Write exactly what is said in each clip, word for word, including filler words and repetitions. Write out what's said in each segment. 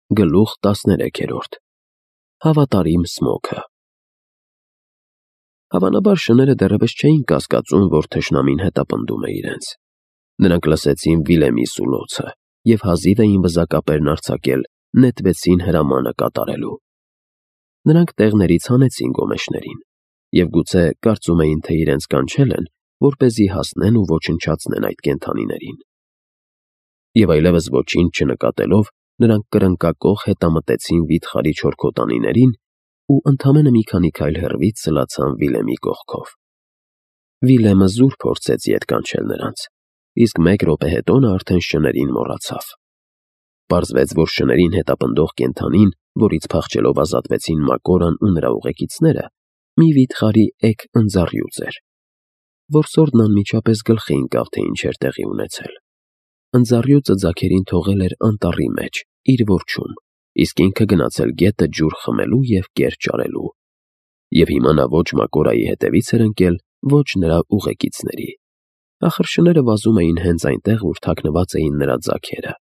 Գլուխ տասներեքերորդ Հավատարիմ Սմոքը Հավանաբար շները դեռևս չէին կասկածում, որ թշնամին հետապնդում է իրենց։ Նրանք լսեցին Վիլեմի սուլոցը և հազիվ էին վզակապերն արձակել, նետվեցին հրամանը կատարելու։ Նրանք տեղներից հանեցին գոմեշներին և գուցե կարծում էին, թե իրենց կանչել են, որպեսզի հասնեն ու ոչնչացնեն այդ կենդանիներին։ Եվ այլևս ոչինչ չնկատելով, նրանք կրնկակոխ հետամտեցին վիթխարի չորքոտանիներին ու ընդամենը մի քանի քայլ հեռվից սլացան Վիլեմի կողքով։ Վիլեմը զուր փորձեց ետ կանչել նրանց, իսկ մեկ րոպե հետո նա արդեն շներին մոռացավ։ Պարզվեց, որ շներին հետապնդող կենդանին, որից փախչելով ազատվեցին Մակորան ու նրա ուղեկիցները, մի վիթխարի էգ ընձառյուծ էր։ Որսորդն անմիջապես գլխի ընկավ, թե ինչ էր տեղի ունեցել։ Ընձառյուծը ձագերին թողել էր անտառի մեջ, իր որջում, իսկ ինքը գնացել գետը ջուր խմելու և կեր ճարելու։ Եվ հիմա նա ոչ Մակորայի հետևից էր ընկել, ոչ նրա ուղեկիցների։ Ախր շները վազում էին հենց այնտեղ, ուր թաքնված էին նրա ձագերը։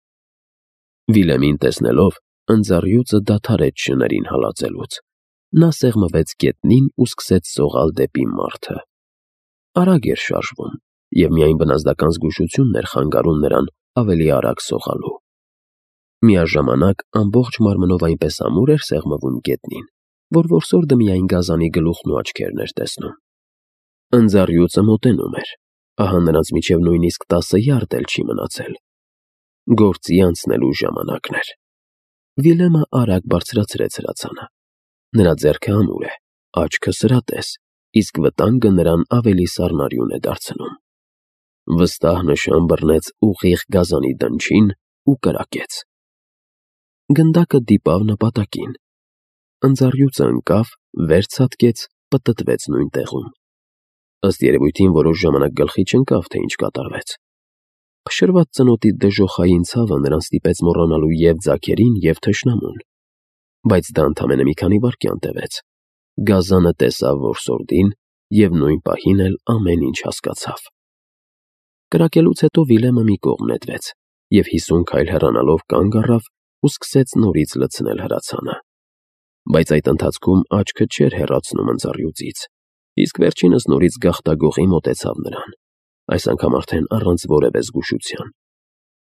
Վիլեմին տեսնելով, ընձառյուծը դադարեց շներին հալածելուց։ Նա սեղմվեց գետնին ու սկսեց սողալ դեպի մարդը։ Արագ էր շարժվում, և միայն բնազդական զգուշությունն էր խանգարում նրան ավելի արագ սողալու։ Միաժամանակ ամբողջ մարմնով այնպես ամուր էր սեղմվում գետնին, որ որսորդը միայն գազանի գլուխն ու աչքերն էր տեսնում։ Ընձառյուծը մոտենում էր, ահա նրանց միջև նույնիսկ տասը յարդ էլ չի մնացել։ Գործի անցնելու ժամանակն էր։ Վիլեմը արագ բարձրացրեց հրացանը։ Նրա ձեռքը ամուր է, աչքը սրատես, իսկ վտանգը նրան ավելի սառնարյուն է դարձնում։ Վստահ նշան բռնեց ուղիղ գազանի դնչին ու կրակեց։ Գնդակը դիպավ նպատակին։ Ընձառյուծը ընկավ, վեր ցատկեց, պտտվեց նույն տեղում։ Ըստ երևույթին որոշ ժամանակ գլխի չընկավ, թե ինչ կատարվեց։ Փշրված ծնոտի դժոխային ցավը նրան ստիպեց մոռանալու և ձագերին, և թշնամուն։ Բայց դա ընդամենը մի քանի վայրկյան տևեց։ Գազանը տեսավ որսորդին և նույն պահին էլ ամեն ինչ հասկացավ։ Կրակելուց հետո Վիլեմը մի կողմ նետվեց և հիսուն քայլ հեռանալով կանգ առավ ու սկսեց նորից լցնել հրացանը։ Բայց այդ ընթացքում աչքը չէր հեռացնում ընձառյուծից, իսկ վերջինս նորից գաղտագողի մոտեցավ նրան, այս անգամ արդեն առանց որևէ զգուշության։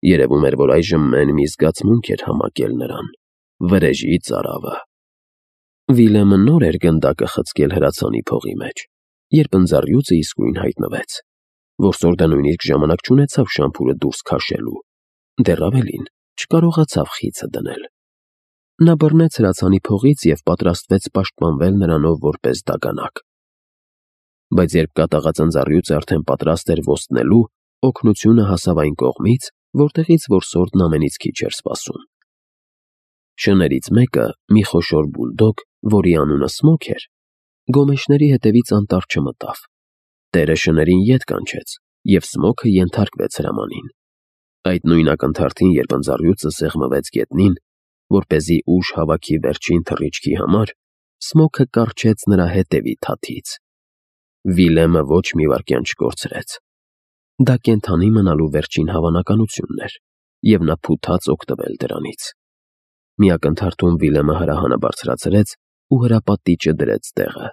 Երևում էր, որ այժմ մեն մի զգացմունք էր համակել նրան՝ վրեժի ծարավը։ Վիլեմը նոր էր գնդակը խցկել հրացանի փողի մեջ, երբ ընձառյուծը իսկույն հայտնվեց։ Որսորդը նույնիսկ ժամանակ չունեցավ շամփուրը դուրս քաշելու, դեռ ավելին, չկարողացավ խիցը դնել։ Նա բռնեց հրացանի փողից և պատրաստվեց պաշտպանվել նրանով որպես դագանակ։ Բայց երբ կատաղած ընձառյուծը արդեն պատրաստ էր ոստնելու, օգնությունը հասավ այն կողմից, որտեղից որսորդն ամենից քիչ էր սպասում։ Շներից մեկը, մի խոշոր բուլդոգ, որի անունը Սմոք էր, գոմեշների հետևից անտառ չմտավ։ Տերը շներին ետ կանչեց, և Սմոքը ենթարկվեց հրամանին։ Այդ նույն ակնթարթին, երբ ընձառյուծը սեղմվեց գետնին, որպեսզի ուժ հավաքի վերջին թռիչքի համար, Սմոքը կառչեց նրա հետևի թաթից։ Վիլեմը ոչ մի վայրկյան չկորցրեց։ Դա կենդանի մնալու վերջին հավանականությունն էր, և նա փութաց օգտվել դրանից։ Մի ակնթարթում Վիլեմը հրահանը բարձրացրեց ու հրապատիճը դրեց տեղը։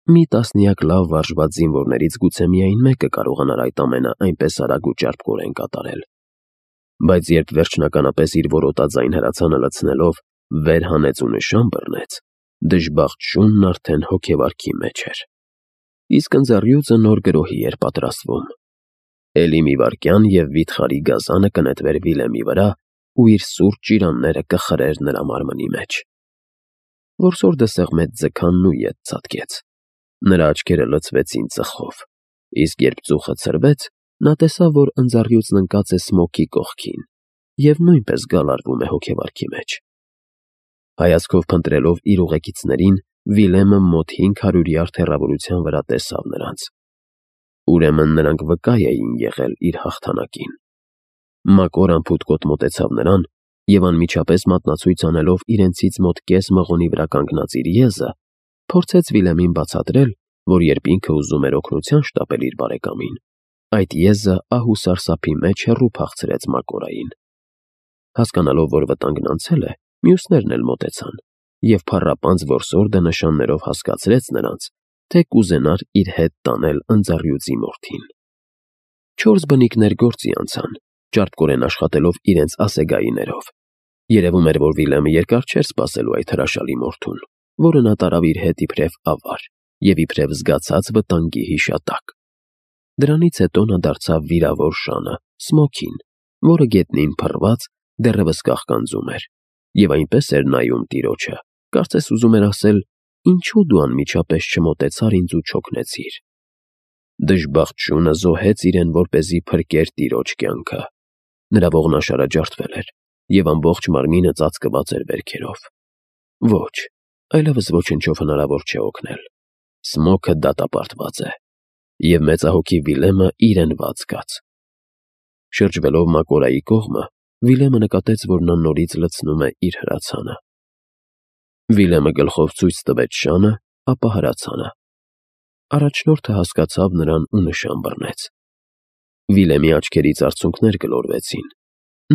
Մի տասնյակ լավ վարժված զինվորներից գուցե միայն մեկը կարողանար այդ ամենը այնպես արագ ու ճարպկորեն կատարել։ Բայց երբ վերջնականապես իր որոտաձայն հրացանը լցնելով վեր հանեց ու նշան բռնեց, դժբախտ շունն արդեն հոգեվարքի մեջ էր։ Իսկ ընձառյուծը նոր գրոհի էր պատրաստվում։ Էլի մի վայրկյան, և վիթխարի գազանը կնետվեր Վիլեմի վրա ու իր սուրճ ճիրանները կխրեր նրա մարմնի մեջ։ Որսորդը սեղմեց ձգանն ու ետ ցատկեց։ Նրա աչքերը լցվեցին ծխով, իսկ երբ ծուխը ցրվեց, նա տեսավ, որ ընձառյուծն ընկած է Սմոքի կողքին և նույնպես գալարվում է հոգեվարքի մեջ։ Հայացքով փնտրելով իր ուղեկիցներին, Վիլեմը մոտ հինգ հարյուր յարդ հեռավորության վրա տեսավ նրանց։ Ուրեմն նրանք վկա էին եղել իր հաղթանակին։ Մակորան փութկոտ մոտեցավ նրան և անմիջապես մատնացույց անելով իրենցից մոտ կես մղոնի վրա կանգնած իր եզը, փորձեց Վիլեմին բացատրել, որ երբ ինքը ուզում էր օգնության շտապել իր բարեկամին, այդ եզը ահ ու սարսափի մեջ հեռու փախցրեց Մակորային։ Հասկանալով, որ վտանգն անցել է, Մյուսներն էլ մոտեցան, և փառապանծ որսորդը նշաններով հասկացրեց նրանց, թե կուզենար իր հետ տանել ընձառյուծի մորթին։ Չորս բնիկներ գործի անցան, ճարպկորեն աշխատելով իրենց ասեգայիներով։ Երևում էր, որ Վիլեմը երկար չէր սպասելու այդ հրաշալի մորթուն, որը նա տարավ իր հետ իբրև ավար և իբրև զգացած վտանգի հիշատակ։ Դրանից հետո նա դարձավ վիրավոր շանը, Սմոքին, որը գետնին փռված դեռևս կաղկանձում էր, և այնպես էր նայում տիրոջը, կարծես ուզում էր ասել. «Ինչո՞ւ դու անմիջապես չմոտեցար ինձ ու չօգնեցիր»։ Դժբախտ շունը զոհեց իրեն, որպեսզի փրկեր տիրոջ կյանքը։ Նրա ողնաշարը ջարդվել էր, և ամբողջ մարմինը ծածկված էր վերքերով։ Ոչ, այլևս ոչնչով հնարավոր չէ օգնել։ Սմոքը դատապարտված է, և մեծահոգի Վիլեմը իրեն վատ զգաց։ Շրջվելով Մակորայի կողմը, Վիլեմը նկատեց, որ նա նորից լցնում է իր հրացանը։ Վիլեմը գլխով ցույց տվեց շանը, ապա հրացանը։ Առաջնորդը հասկացավ նրան ու նշան բռնեց։ Վիլեմի աչքերից արցունքներ գլորվեցին։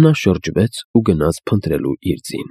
Նա շրջվեց ու գնաց փնտրելու իր ձին։